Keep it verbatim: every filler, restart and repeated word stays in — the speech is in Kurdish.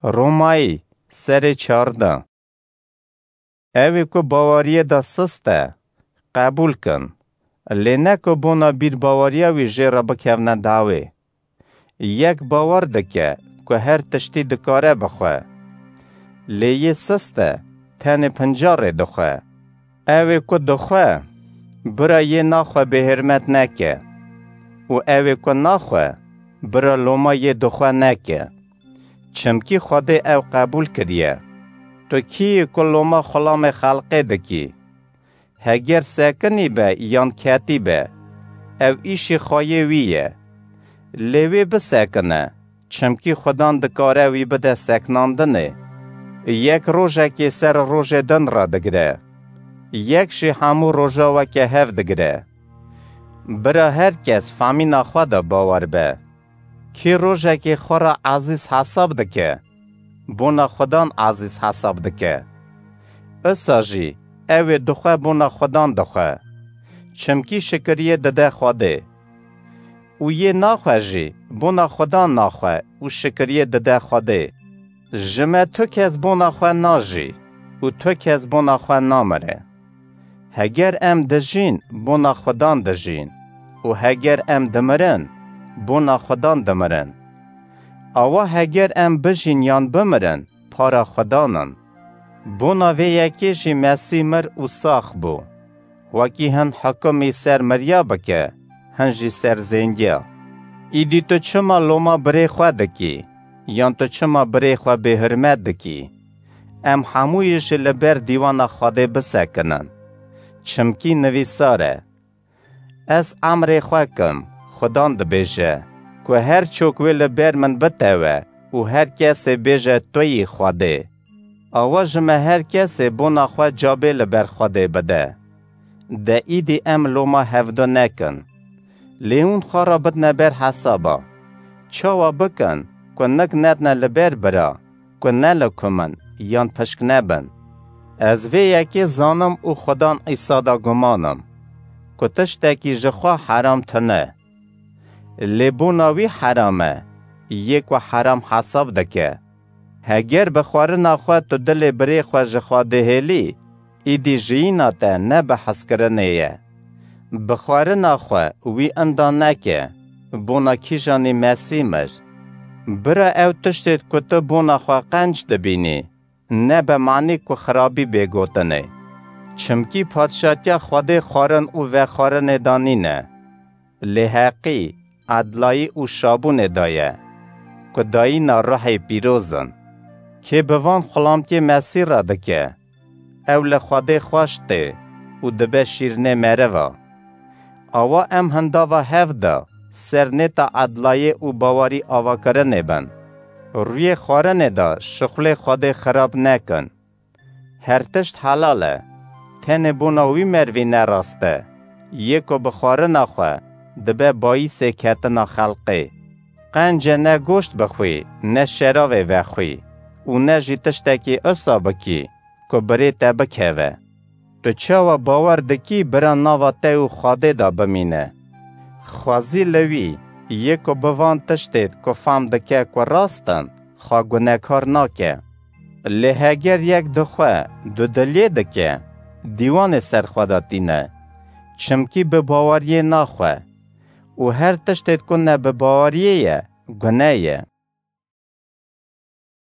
Romayî, serê çardeh. Ew ê ku baweriyê de sist e, qebûl kin, lê ne ku bona bîrbaweriya wî jê re bikevne dawê. Yek bawer dike ku her tiştî dikare bixwe, lê yê sist e, tenê pincarê dixwe. Ew ê ku dixwe, bira yê naxwe bêhirmet neke û ew ê ku naxwe, bira loma yê dixwe neke. Çimkî Xwedê ew qebûl kiriye. Tu kî yî ku loma xulamê xelqê dikî? Heger sekinî be yan ketî be, ew îşî xweyê wî ye. Lê wê bisekine, çimkî Xudan dikare wî bide seknandinê. Yek rojekê ser rojê din radigire. Yek jî hemû roja weke hev digire. Bira her kes famîna xwe de bawer be. Kê rojekê xwe re ezîz hesab dike, bona Xudan ezîz hesab dike. Isa jî ew ê dixwe bona Xudan dixwe. Çimkî şikiriyê dide Xwedê. Û yê naxwe jî bona Xudan naxwe û şikiriyê dide Xwedê. Ji me tu kes bona xwe najî û tu kes bona xwe namire. Heger em dijîn, bona Xudan dijîn û heger em dimirin, bona Xudan dimirin. Awa heger em bijîn yan bimirin, para Xudan in. Bona vê yekê jî Mesîh mir û sax bû. Wekî hin hikumî ser miriya bike, hin jî ser zêngiya. Îdî tu çima loma birê xwe dikî, yan tu çima birê xwe bêhurmet dikî? Em hemûyî jî li ber dîwana Xwedê bisekinin. Çimkî nivîsar e, Ez emrê xwe kim, Xudan dibêje, ku her çok wê li ber min bitewe û her kesê bêje tu yî Xwedê. Awa ji me her kesê bona xwe cabê li ber Xwedê bide. De îdî em loma hevdu nekin. Lê hûn xwe re bidine ber hesaba. Çawa bikin ku nik nedine li ber bira, ku ne li ku min yan pişk nebin. Ez vê yekê zanim û Xudan Îsa de guman im, ku tiştekî ji xwe heram tune. Lê bona wî heram e, yê ku heram hesab dike. Heger bi xwarina xwe tu dilê birê xwe ji xwe dihêlî, îdî jiyîna te ne bi hezkirinê ye. Bi xwarina xwe wî inda neke, bona kîjanî Mesîh mir. Bira ew tiştê ku tu bona xwe qenc dibînî, ne be manî ku xirabî bê gotinê. Çimkî padşatiya Xwedê xwarin û vexwarinê de nîne. Lê heqî, edlayî û şabûnê de ye, ku dayîna ruhê pîroz in. Kê bi van xulamtiyê Mesîh re dike, ew li Xwedê xweş tê û dibe şîrinê meriva. Awa em hindava hev de ser nêta edlayê û bawerî avakirinê bin. Rûyê xwarinê de şixulê Xwedê xirab nekin. Her tişt helal e. Tenê bona wî mervî ne rast e. Yê ku bi xwarina xwe dibe bayîsê ketina xelqê. Qenc e ne goşt bixwî, ne şeravê vexwî û ne jî tiştekî isa bikî ku birê te bikeve. Tu çawa bawer dikî bira nava te û Xwedê de bimîne? Xwezî li wî, yê ku bi van tiştê ku fam dike ku rast in, xwe gunekar nake. Lê heger yek dixwe dudiliyê dike, dîwanê ser xwe de tîne, çimkî bi baweriyê naxwe û her tiştê ku ne bi baweriyê ye, gune ye.